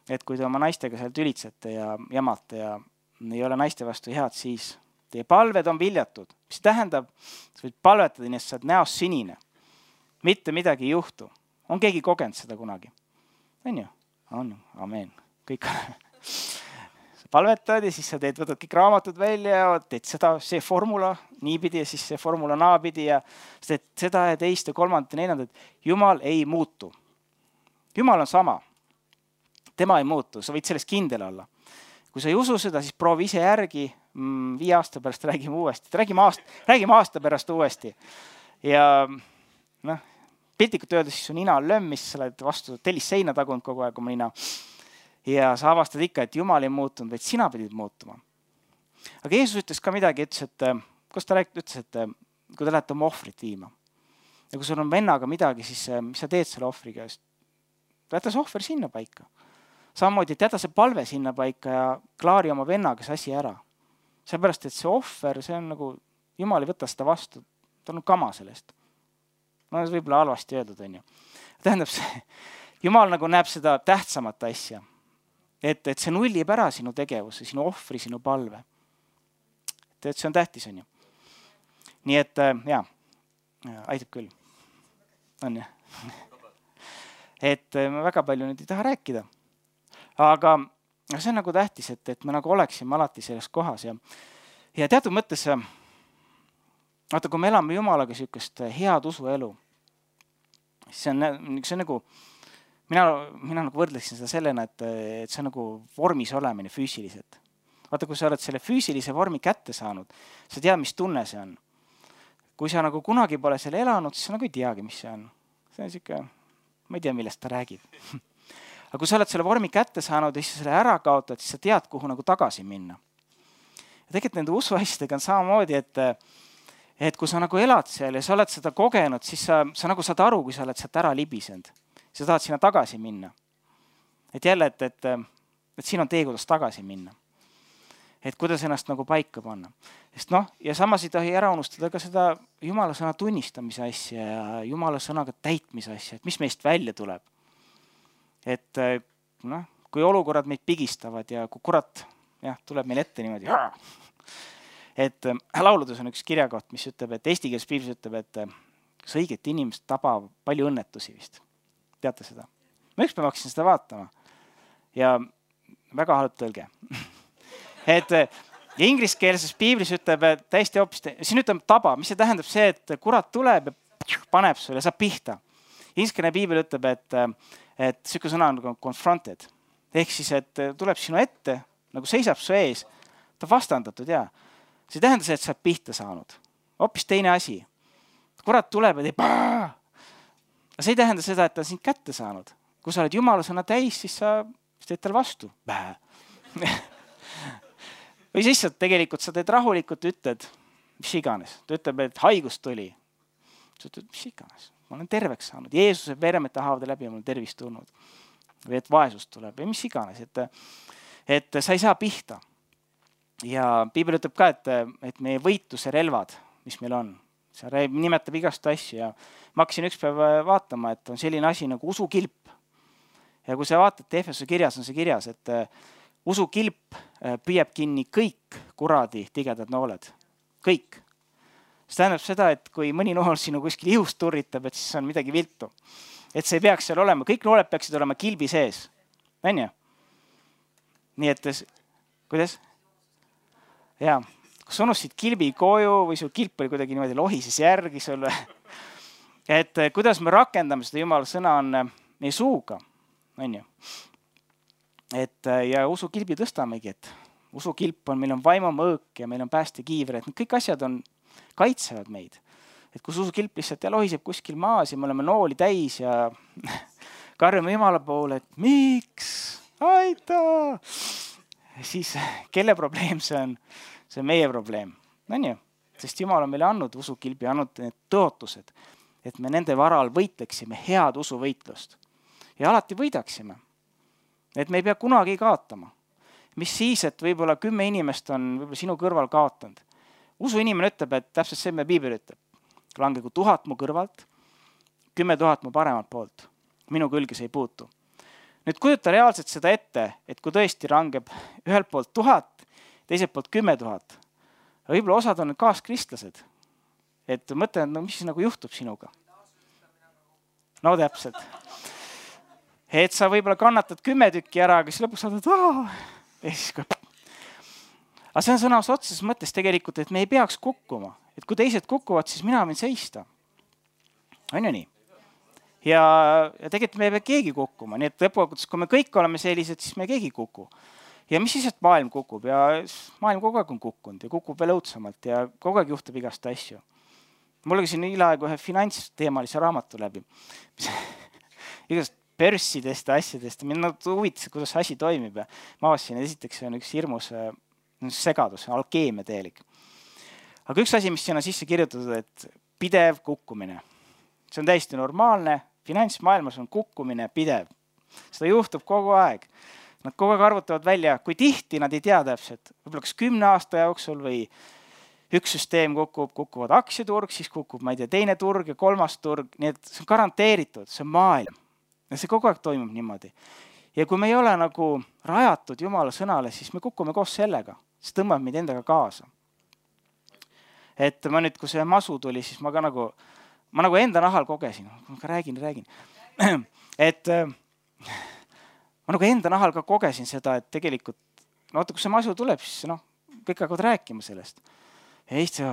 et kui te oma naistega seal tülitsete ja jamate ja ei ole naiste vastu head, siis teie palved on viljatud. Mis tähendab, sa võid palvetada, nii et sa oled näost sinine. Mitte midagi ei juhtu. On keegi kogenud seda kunagi? On ju? On ju? Amen. Kõik on. Sa palvetad ja siis sa teed, võtad kõik raamatud välja ja teed seda, see formula niipidi ja siis see formula naapidi ja sa teed seda ja teist ja kolmandat ja neljandat. Jumal ei muutu. Jumal on sama. Tema ei muutu. Sa võid sellest kindel olla. Kui sa ei usu seda, siis proovi ise järgi, viie aasta pärast räägime uuesti. Räägime aasta, räägime aasta pärast uuesti. Ja noh, piltlikult öeldes siis su nina on lömm, mis sa oled vastu tellis seina tagunud kogu aeg oma nina. Ja sa avastad ikka, et Jumal ei muutunud, vaid sina pidid muutuma. Aga Jeesus ütles ka midagi, ütles, et, kus ta rääkis, ütles, et kui te lähete oma ohvrit viima. Ja kui sul on vennaga midagi, siis mis sa teed selle ohvri käest? Jäta see ohver sinna paika. Samamoodi, et jäta see palve sinna paika ja klaari oma vennaga see asi ära. Seepärast, et see ohver, see on nagu, Jumal ei võta seda vastu, ta on kama sellest. No see võib-olla halvasti öeldud, on ju. Tähendab see, Jumal nagu näeb seda tähtsamat asja. Et, et see nullib ära sinu tegevuse, sinu ohvri, sinu palve. Et, et see on tähtis, on ju. Nii et, jaa, aitab küll. On ju. Et ma väga palju nüüd ei taha rääkida. Aga see on nagu tähtis, et, et me nagu oleksime alati selles kohas. Ja, ja teatud mõttes, vaata, kui me elame Jumalaga sükest head usuelu, see on, see on nagu, mina, mina nagu võrdleksin seda sellena, et, et see on nagu vormis olemine füüsiliselt. Vaata, kui sa oled selle füüsilise vormi kätte saanud, sa tead, mis tunne see on. Kui sa nagu kunagi pole selle elanud, siis sa nagu ei teagi, mis see on. See on siuke ma ei tea, millest ta räägib. Aga kui sa oled selle vormi kätte saanud ja siis selle ära kaotad, siis sa tead, kuhu nagu tagasi minna. Ja tegelikult nende usuasjadega on samamoodi, et, et kui sa nagu elad seal ja sa oled seda kogenud, siis sa, sa nagu saad aru, kui sa oled sealt ära libisend. Sa tahad sinna tagasi minna. Et jälle, et, et, et siin on tee, kuidas tagasi minna. Et kuidas ennast nagu paika panna. Sest noh, ja samas ei tohi ära unustada ka seda Jumala sõna tunnistamise asja ja Jumala sõnaga täitmise asja, et mis meist välja tuleb. Et noh, kui olukorrad meid pigistavad ja kui kurat jah, tuleb meil ette niimoodi, et lauludes on üks kirjakoht, mis ütleb, et eesti keeles piiblis ütleb, et kas õiget inimest tabab palju õnnetusi vist. Teate seda? Ma ükspäev hakkasin seda vaatama ja väga halb tõlge. Et ja ingliskeelses piiblis ütleb, et täiesti hoopis, siin ütleb taba, mis see tähendab see, et kurat tuleb ja paneb sulle, saab pihta. Ingliskeelne piibel ütleb, et, et siuke sõna on confronted. Ehk siis, et tuleb sinu ette, nagu seisab su ees, ta vastandatud ja see ei tähenda see, et sa oled pihta saanud. Hoopis teine asi. Kurat tuleb ja teeb paa. See ei tähenda seda, et ta on sind kätte saanud. Kui sa oled Jumala sõna täis, siis sa teed tal vastu. Bää. Või siis tegelikult sa teed rahulikult, ütled, mis iganes. Ta ütleb, et haigus tuli. Sa ütled, mis iganes. Ma olen terveks saanud. Jeesuse veremete haavade läbi on mul tervist tulnud. Või et vaesus tuleb. Või mis iganes. Et, et sa ei saa pihta. Ja piibel ütleb ka, et, et meie võitluse relvad, mis meil on. See nimetab igast asju. Ja ma hakkasin üks päev vaatama, et on selline asi nagu usukilp. Ja kui sa vaatad Efesuse kirjas, on see kirjas, et usukilp püüab kinni kõik kuradi tigedad nooled. Kõik. See tähendab seda, et kui mõni nool sinu kuskil ihust turritab, et siis on midagi viltu. Et see ei peaks seal olema. Kõik nooled peaksid olema kilbi sees. On ju? Nii et, kuidas? Jaa. Kas unustasid kilbi koju või su kilp oli kuidagi niimoodi lohises järgi sulle? Et kuidas me rakendame seda Jumala sõna on meie suuga. On ju? Et ja usukilbi tõstamegi, et usukilp on, meil on vaimumõõk ja meil on päästekiivre, et kõik asjad on, kaitsevad meid. Et kus usukilp lihtsalt ja lohiseb kuskil maas ja me oleme nooli täis ja karjume Jumala poole, et miks? Aita! Siis kelle probleem see on? See on meie probleem. On ju? Sest Jumal on meile andnud usukilbi, andnud need tõotused, et me nende varal võitleksime head usuvõitlust. Ja alati võidaksime. Et me ei pea kunagi kaotama. Mis siis, et võib-olla kümme inimest on võib-olla sinu kõrval kaotanud. Usu inimene ütleb, et täpselt see, mida piibel ütleb. Langegu tuhat mu kõrvalt, kümme tuhat mu paremalt poolt. Minu külge see ei puutu. Nüüd kujuta reaalselt seda ette, et kui tõesti rangeb ühelt poolt tuhat, teiselt poolt kümme tuhat. Võib-olla osad on need kaaskristlased. Et mõtlen, no mis siis nagu juhtub sinuga? No täpselt. Et sa võib-olla kannatad kümme tükki ära, aga siis lõpuks saadad, aah, ja siis kui... Aga see on sõnas otseses mõttes tegelikult, et me ei peaks kukkuma. Et kui teised kukuvad, siis mina võin seista. On ju nii? Ja, ja tegelikult me ei pea keegi kukkuma. Nii et lõpuks, kui me kõik oleme sellised, siis me keegi kuku. Ja mis siis, et maailm kukub? Ja maailm kogu aeg on kukkunud ja kukub veel õudsamalt ja kogu aeg juhtub igast asju. Mul oli siin hiljaaegu ühe finantsteemalise raamatu läbi. Igast börssidest ja asjadest. Mind huvitas, kuidas asi toimib. Ja ma avasin, et esiteks see on üks hirmus segadus, alkeemia teelik. Aga üks asi, mis siin on sisse kirjutatud, et pidev kukkumine. See on täiesti normaalne. Finantsmaailmas on kukkumine pidev. Seda juhtub kogu aeg. Nad kogu aeg arvutavad välja, kui tihti nad ei tea täpselt. Võib-olla kas kümne aasta jooksul või üks süsteem kukub, kukuvad aktsiaturg, siis kukub, ma ei tea, teine turg ja kolmas turg. Nii et see on garanteeritud, see on maailm. Ja see kogu aeg toimub niimoodi. Ja kui me ei ole nagu rajatud Jumala sõnale, siis me kukume koos sellega. See tõmbab meid endaga kaasa. Et ma nüüd, kui see masu tuli, siis ma ka nagu, ma nagu enda nahal kogesin. Ma ka räägin, räägin. Et ma nagu enda nahal ka kogesin seda, et tegelikult, no oota, kui see masu tuleb, siis noh, kõik hakkavad rääkima sellest. Ja Eesti,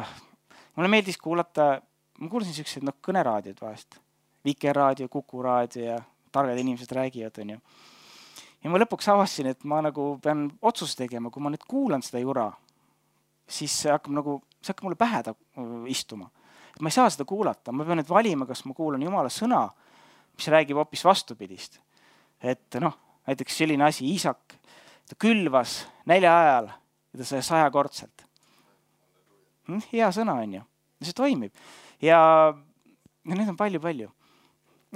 mulle meeldis kuulata, ma kuulasin sellised no, kõneraadiod vahest. Vikerraadio, Kukuraadio ja targad inimesed räägivad. On ju. Ja ma lõpuks avasin, et ma nagu pean otsust tegema, kui ma nüüd kuulan seda jura, siis see hakkab, nagu, see hakkab mulle pähe istuma. Et ma ei saa seda kuulata, ma pean nüüd valima, kas ma kuulan Jumala sõna mis räägib hoopis vastupidist. Et noh, näiteks selline asi, Iisak, ta külvas nälja ajal ja ta sai sajakordselt. Hea sõna on ju, see toimib. Ja, ja need on palju-palju.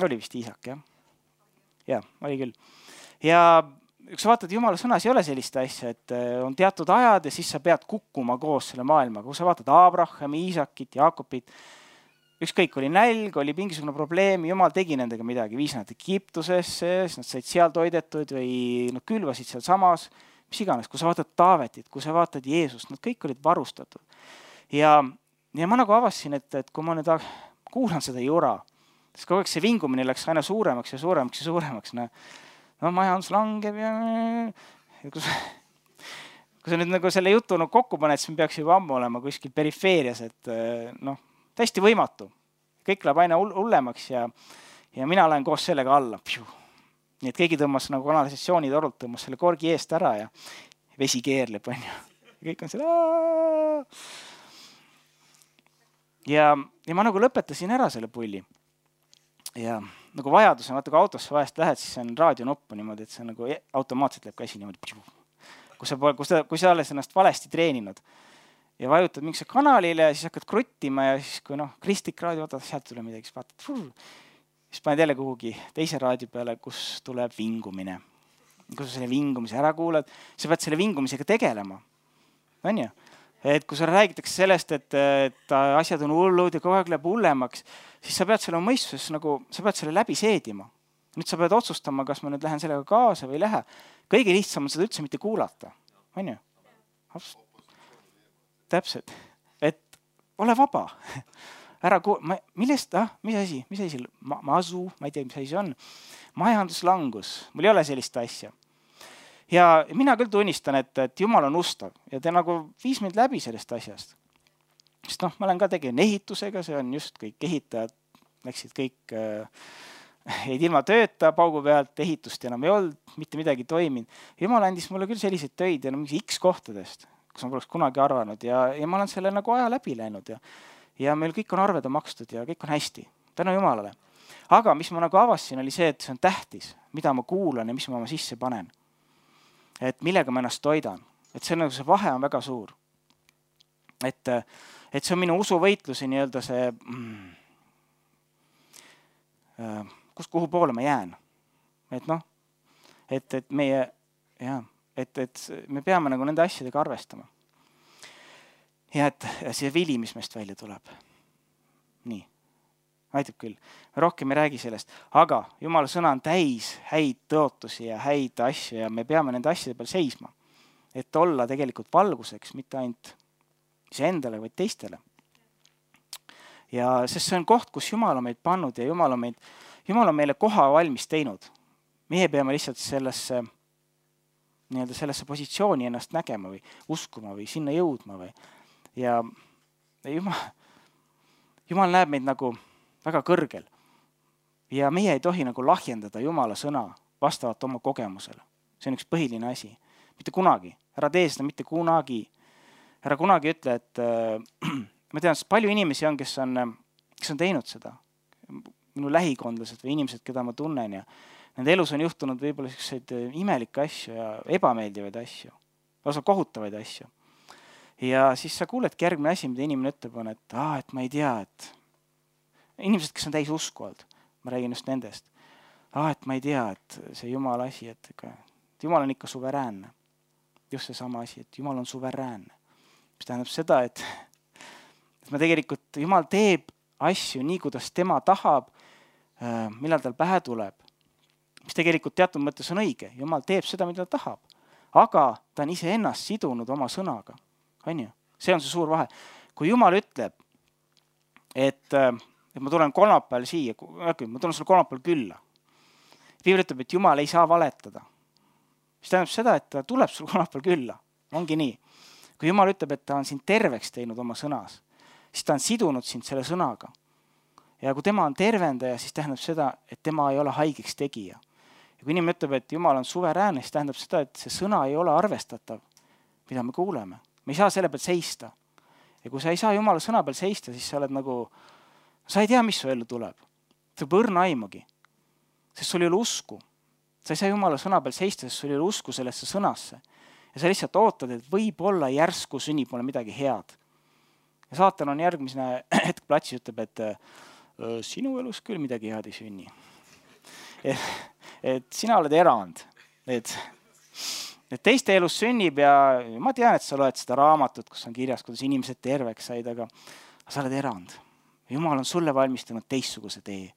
Oli vist Iisak, jah? Jah, oli küll. Ja kui sa vaatad, Jumala sõnas ei ole sellist asja, et on teatud ajad ja siis sa pead kukkuma koos selle maailmaga. Kui sa vaatad Abrahami, Iisakit, Jaakobit, ükskõik oli nälg, oli mingisugune probleem, Jumal tegi nendega midagi, viis nad Egiptusesse, siis nad said seal toidetud või nad külvasid seal samas, mis iganes. Kui sa vaatad Taavetit, kui sa vaatad Jeesust, nad kõik olid varustatud. Ja, ja ma nagu avasin, et, et kui ma nüüd kuulan seda jura, siis kogu aeg see vingumine läks aina suuremaks ja suuremaks ja suuremaks. No, no majandus langeb ja, ja kui, sa, kui sa nüüd nagu selle jutu no, kokku paned, siis me peaks juba ammu olema kuskil perifeerias, et noh, täiesti võimatu. Kõik läheb aina hullemaks ja, ja mina lähen koos sellega alla. Piu. Nii et keegi tõmmas nagu kanalisatsiooni torult, tõmmas selle korgi eest ära ja vesi keerleb. On ju. Ja kõik on selle... Ja, ja ma nagu lõpetasin ära selle pulli. Ja nagu vajadus on, vaata kui autosse vahest lähed, siis on raadionoppu niimoodi, et see nagu automaatselt läheb käsi niimoodi. Kui sa, kui sa, kui sa oled ennast valesti treeninud ja vajutad mingisse kanalile ja siis hakkad kruttima ja siis kui noh, kristlik raadio, vaatad, sealt tule midagi, siis vaatad, siis paned jälle kuhugi teise raadio peale, kus tuleb vingumine. Kui sa selle vingumise ära kuulad, sa pead selle vingumisega tegelema. On ju? Et kui sa räägitakse sellest, et, et asjad on hullud ja kogu aeg läheb hullemaks, siis sa pead selle mõistuses nagu, sa pead selle läbi seedima. Nüüd sa pead otsustama, kas ma nüüd lähen sellega kaasa või ei lähe. Kõige lihtsam on seda üldse mitte kuulata. On ju? Täpselt. Et ole vaba. Ära kuul... Ma, millest? Ah, mis asi? Mis asi? Ma, masu? Ma ei tea, mis asi see on. Majanduslangus. Mul ei ole sellist asja. Ja mina küll tunnistan, et, et Jumal on ustav ja te nagu viis mind läbi sellest asjast. Sest noh, ma olen ka tegelen ehitusega, see on just kõik ehitajad, läksid kõik, äh, jäid ilma tööta paugu pealt, ehitust enam ei olnud, mitte midagi toiminud. Jumal andis mulle küll selliseid töid ja no, mingi X kohtadest, kus ma poleks kunagi arvanud ja, ja ma olen selle nagu aja läbi läinud ja, ja meil kõik on arved on makstud ja kõik on hästi. Tänu Jumalale. Aga mis ma nagu avasin, oli see, et see on tähtis, mida ma kuulan ja mis ma oma sisse panen. Et millega ma ennast toidan. Et see, nagu see vahe on väga suur. Et, et see on minu usuvõitluse nii-öelda see, mm, kus, kuhu poole ma jään. Et noh, et, et meie, jah, et, et me peame nagu nende asjadega arvestama. Ja et see vili, mis meist välja tuleb. Nii. Aitab küll. Rohkem ei räägi sellest. Aga Jumala sõna on täis häid tõotusi ja häid asju ja me peame nende asjade peal seisma. Et olla tegelikult valguseks, mitte ainult iseendale, vaid teistele. Ja sest see on koht, kus Jumal on meid pannud ja Jumal on, meid, Jumal on meile koha valmis teinud. Meie peame lihtsalt sellesse, nii-öelda sellesse positsiooni ennast nägema või uskuma või sinna jõudma. Või. Ja Jumal, Jumal näeb meid nagu väga kõrgel. Ja meie ei tohi nagu lahjendada Jumala sõna vastavalt oma kogemusele. See on üks põhiline asi. Mitte kunagi. Ära tee seda mitte kunagi. Ära kunagi ütle, et äh, ma tean, palju inimesi on, kes on, kes on teinud seda. Minu lähikondlased või inimesed, keda ma tunnen ja nende elus on juhtunud võib-olla selliseid imelikke asju ja ebameeldivaid asju. Lausa kohutavaid asju. Ja siis sa kuuledki järgmine asi, mida inimene ütleb on, et, ah, et ma ei tea, et inimesed, kes on täis usku olnud, ma räägin just nendest. Ah, et ma ei tea, et see Jumala asi, et, et Jumal on ikka suveräänne. Just see sama asi, et Jumal on suveräänne. Mis tähendab seda, et, et ma tegelikult, Jumal teeb asju nii, kuidas tema tahab, millal tal pähe tuleb. Mis tegelikult teatud mõttes on õige. Jumal teeb seda, mida ta tahab. Aga ta on ise ennast sidunud oma sõnaga. On ju? See on see suur vahe. Kui Jumal ütleb, et et ma tulen kolmapäeval siia, ma tulen sulle kolmapäeval külla. Piibel ütleb, et Jumal ei saa valetada. Mis tähendab seda, et ta tuleb sulle kolmapäeval külla. Ongi nii. Kui Jumal ütleb, et ta on sind terveks teinud oma sõnas, siis ta on sidunud sind selle sõnaga. Ja kui tema on tervendaja, siis tähendab seda, et tema ei ole haigeks tegija. Ja kui inimene ütleb, et Jumal on suveräänne, siis tähendab seda, et see sõna ei ole arvestatav, mida me kuuleme. Me ei saa selle peal seista. Ja kui sa ei saa Jumala sõna peal seista, siis sa oled nagu... Sa ei tea, mis su ellu tuleb. See võib õrna aimugi. sest sul ei ole usku. Sa ei saa Jumala sõna peal seista, sest sul ei ole usku sellesse sõnasse. Ja sa lihtsalt ootad, et võib-olla järsku sünnib mulle midagi head. Ja saatan on järgmisena hetk platsis, ütleb, et sinu elus küll midagi head ei sünni. Et, et sina oled erand. Et, et teiste elus sünnib ja ma tean, et sa loed seda raamatut, kus on kirjas, kuidas inimesed terveks said, aga sa oled erand. Jumal on sulle valmistanud teistsuguse tee.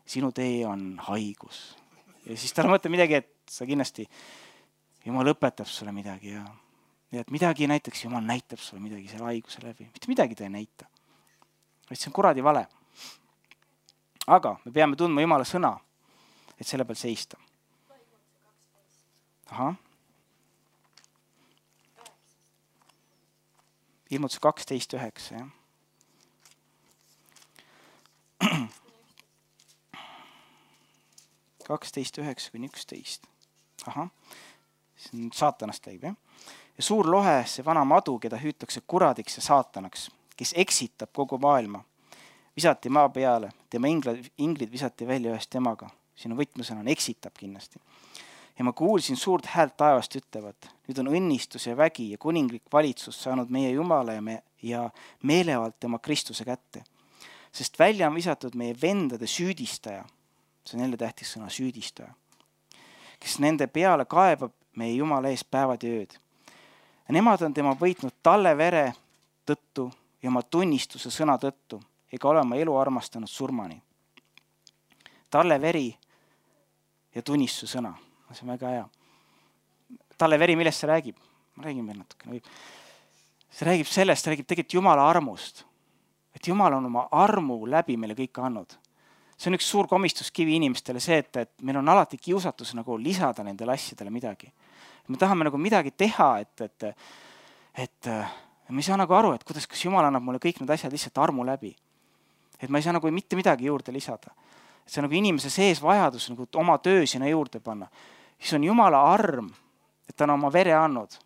Sinu tee on haigus. Ja siis tal mõtleb midagi, et sa kindlasti, Jumal õpetab sulle midagi ja, ja et midagi näiteks, Jumal näitab sulle midagi selle haiguse läbi. Mitte midagi ta ei näita. See on kuradi vale. Aga me peame tundma Jumala sõna, et selle peal seista. Aha. Ilmutuse kaksteist üheksa, jah. kaksteist üheksa kuni üksteist. Aha. See on saatanast käib, jah. Ja suur lohe, see vana madu, keda hüütakse kuradiks ja saatanaks, kes eksitab kogu maailma. Visati maa peale, tema inglid, inglid visati välja ühest temaga. Siin on võtmesõna, on eksitab kindlasti. Ja ma kuulsin suurt häält taevast ütlevat. Nüüd on õnnistus ja vägi ja kuninglik valitsus saanud meie Jumala ja, me, ja meelevalt tema Kristuse kätte. Sest välja on visatud meie vendade süüdistaja. See on jälle tähtis sõna, süüdistaja. Kes nende peale kaebab meie Jumala ees päevad ja ööd. Ja nemad on tema võitnud talle vere tõttu ja oma tunnistuse sõna tõttu, ega ole oma elu armastanud surmani. Talle veri ja tunnistuse sõna. See on väga hea. Talle veri, millest see räägib? Ma räägin veel natuke. See räägib sellest, see räägib tegelikult Jumala armust. Et Jumal on oma armu läbi meile kõik andnud. See on üks suur komistuskivi inimestele see, et, et meil on alati kiusatus nagu lisada nendele asjadele midagi. Me tahame nagu midagi teha, et, et, et me ei saa nagu aru, et kuidas, kas Jumal annab mulle kõik need asjad lihtsalt armu läbi. Et ma ei saa nagu mitte midagi juurde lisada. Et see on nagu inimese sees vajadus nagu oma töö sinna juurde panna. Siis on Jumala arm, et ta on oma vere andnud.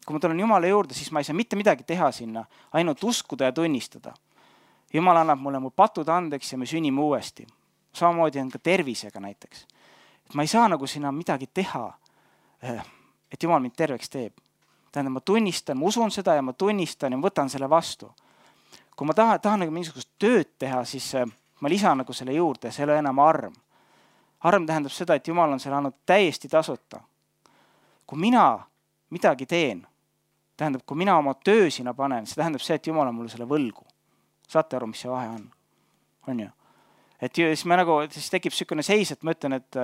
Kui ma tulen Jumala juurde, siis ma ei saa mitte midagi teha sinna, ainult uskuda ja tunnistada. Jumal annab mulle mu patud andeks ja me sünnime uuesti. Samamoodi on ka tervisega näiteks. Et ma ei saa nagu sinna midagi teha, et Jumal mind terveks teeb. Tähendab, ma tunnistan, ma usun seda ja ma tunnistan ja ma võtan selle vastu. Kui ma tahan, tahan nagu mingisugust tööd teha, siis ma lisan nagu selle juurde, see ei ole enam arm. Arm tähendab seda, et Jumal on selle andnud täiesti tasuta. Kui mina midagi teen, tähendab, kui mina oma töö sinna panen, see tähendab see, et Jumal on mulle selle võlgu. Saate aru, mis see vahe on? On ju? Et siis, me nagu, siis tekib sükene seis, et ma ütlen, et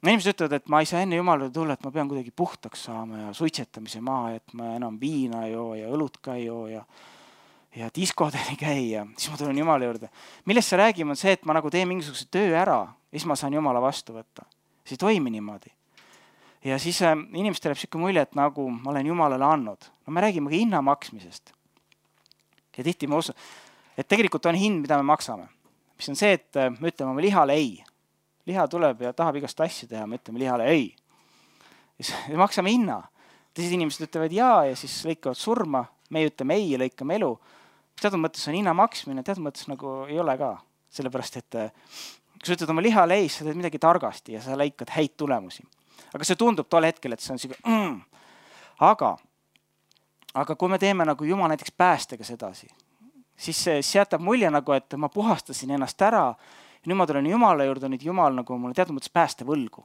inimesed ütlevad, et ma ei saa enne Jumalale tulla, et ma pean kuidagi puhtaks saama ja suitsetamise maha, et ma enam viina ei joo ja õlut ka ei joo ja, ja diskoden ei käi ja siis ma tulen Jumala juurde. Millest sa räägime on see, et ma nagu teen mingisuguse töö ära ja siis ma saan Jumala vastu võtta. See ei toimi niimoodi. Ja siis äh, inimestel jääb sükene mulje, et nagu ma olen Jumalale andnud. No me räägime ka hinna maksmisest. Ja tihti ma usun, et tegelikult on hind, mida me maksame. Mis on see, et me ütleme oma lihale ei. Liha tuleb ja tahab igast asju teha, me ütleme lihale ei. Ja siis maksame hinna. Teised inimesed ütlevad jaa ja siis lõikavad surma. Me ütleme ei ja lõikame elu. Teatud mõttes on hinna maksmine, teatud mõttes nagu ei ole ka. Sellepärast, et kui sa ütled oma lihale ei, sa teed midagi targasti ja sa lõikad häid tulemusi. Aga see tundub tol hetkel, et see on siuke mm. Aga Aga kui me teeme nagu Jumal näiteks päästega sedasi, siis see jätab mulje nagu, et ma puhastasin ennast ära ja nüüd ma tulen Jumala juurde, nüüd Jumal nagu mulle teatud mõttes pääste võlgu.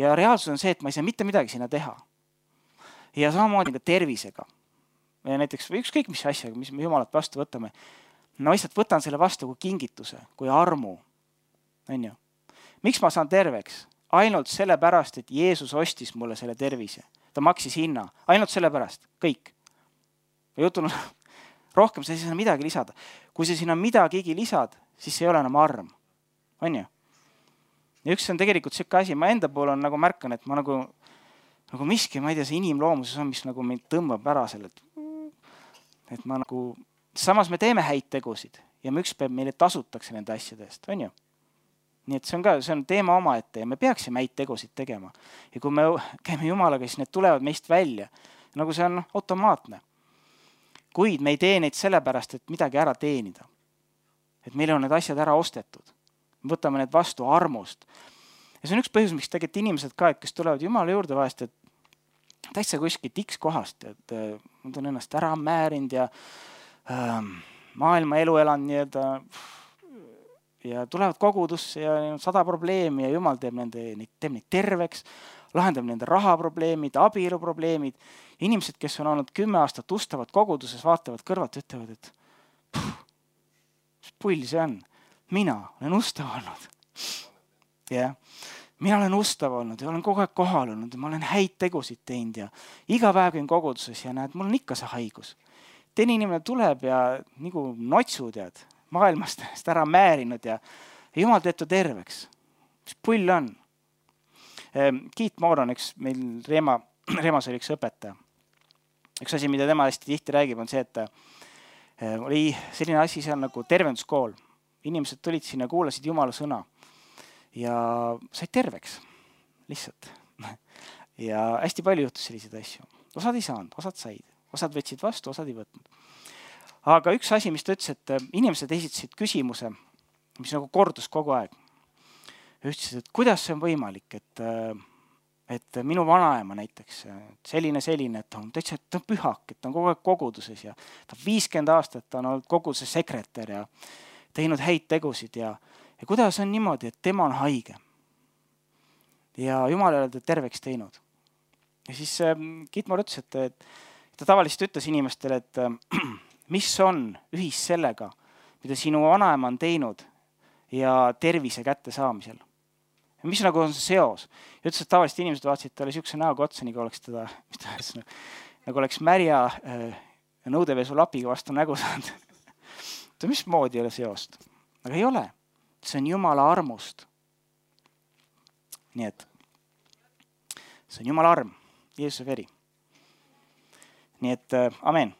Ja reaalsus on see, et ma ei saa mitte midagi sinna teha. Ja samamoodi ka tervisega. Ja näiteks ükskõik mis asjaga, mis me Jumalat vastu võtame, ma lihtsalt võtan selle vastu kui kingituse, kui armu. On ju? Miks ma saan terveks? Ainult sellepärast, et Jeesus ostis mulle selle tervise. Ta maksis hinna. Ainult sellepärast. Kõik. Jutun, rohkem sa ei saa midagi lisada. Kui sa sinna midagigi lisad, siis see ei ole enam arm. On ju? Ja üks on tegelikult siuke asi. Ma enda pool on nagu märkan, et ma nagu, nagu miski, ma ei tea, see inimloomuses on, mis nagu mind tõmbab ära sellelt. Et ma nagu, samas me teeme häid tegusid ja me üks päev meile tasutakse nende asjade eest. On ju? Nii et see on ka, see on teema oma ette ja me peaksime häid tegusid tegema. Ja kui me käime Jumalaga, siis need tulevad meist välja. Nagu see on automaatne. Kuid me ei tee neid sellepärast, et midagi ära teenida. Et meil on need asjad ära ostetud. me võtame need vastu armust. Ja see on üks põhjus, miks tegelikult inimesed ka, et kes tulevad Jumala juurde vahest, et täitsa kuskilt X kohast, et nad on ennast ära määrinud ja äh, maailma elu elanud nii-öelda ja tulevad kogudusse ja sada probleemi ja Jumal teeb, nende, teeb neid terveks, lahendab nende rahaprobleemid, abieluprobleemid. Inimesed, kes on olnud kümme aastat ustavad koguduses, vaatavad kõrvalt ja ütlevad, et puh, mis pull see on? Mina olen ustav olnud. Yeah. Mina olen ustav olnud ja olen kogu aeg kohal olnud ja ma olen häid tegusid teinud ja iga päev käin koguduses ja näed, mul on ikka see haigus. Teine inimene tuleb ja nagu notsu tead, maailmast ära määrinud ja, ja Jumal teeb ta terveks. Mis pull on? Keith Moore on üks, meil Reema, Reemas oli üks õpetaja. Üks asi, mida tema hästi tihti räägib, on see, et oli selline asi seal nagu tervenduskool. Inimesed tulid sinna, kuulasid Jumala sõna ja said terveks lihtsalt. Ja hästi palju juhtus selliseid asju. Osad ei saanud, osad said. Osad võtsid vastu, osad ei võtnud. Aga üks asi, mis ta ütles, et inimesed esitasid küsimuse, mis nagu kordus kogu aeg. Ütlesid, et kuidas see on võimalik, et, et minu vanaema näiteks, selline, selline, et ta on täitsa ta on pühak, et ta on kogu aeg koguduses ja ta on viiskümmend aastat, ta on olnud koguduse sekretär ja teinud häid tegusid ja, ja kuidas on niimoodi, et tema on haige. Ja Jumal ei ole ta terveks teinud. Ja siis Kitmar ütles, et, et ta tavaliselt ütles inimestele, et mis on ühis sellega, mida sinu vanaema on teinud ja tervise kätte saamisel. Ja mis nagu on see seos? Ja ütles, et tavaliselt inimesed vaatasid talle siukse näoga otsa, nagu oleks teda, mis ta ütles, nagu oleks märja äh, nõudevesu lapiga vastu nägu saanud. Mis moodi ei ole seost? Aga ei ole. See on Jumala armust. Nii et see on Jumala arm, Jeesuse veri. Nii et äh, amen.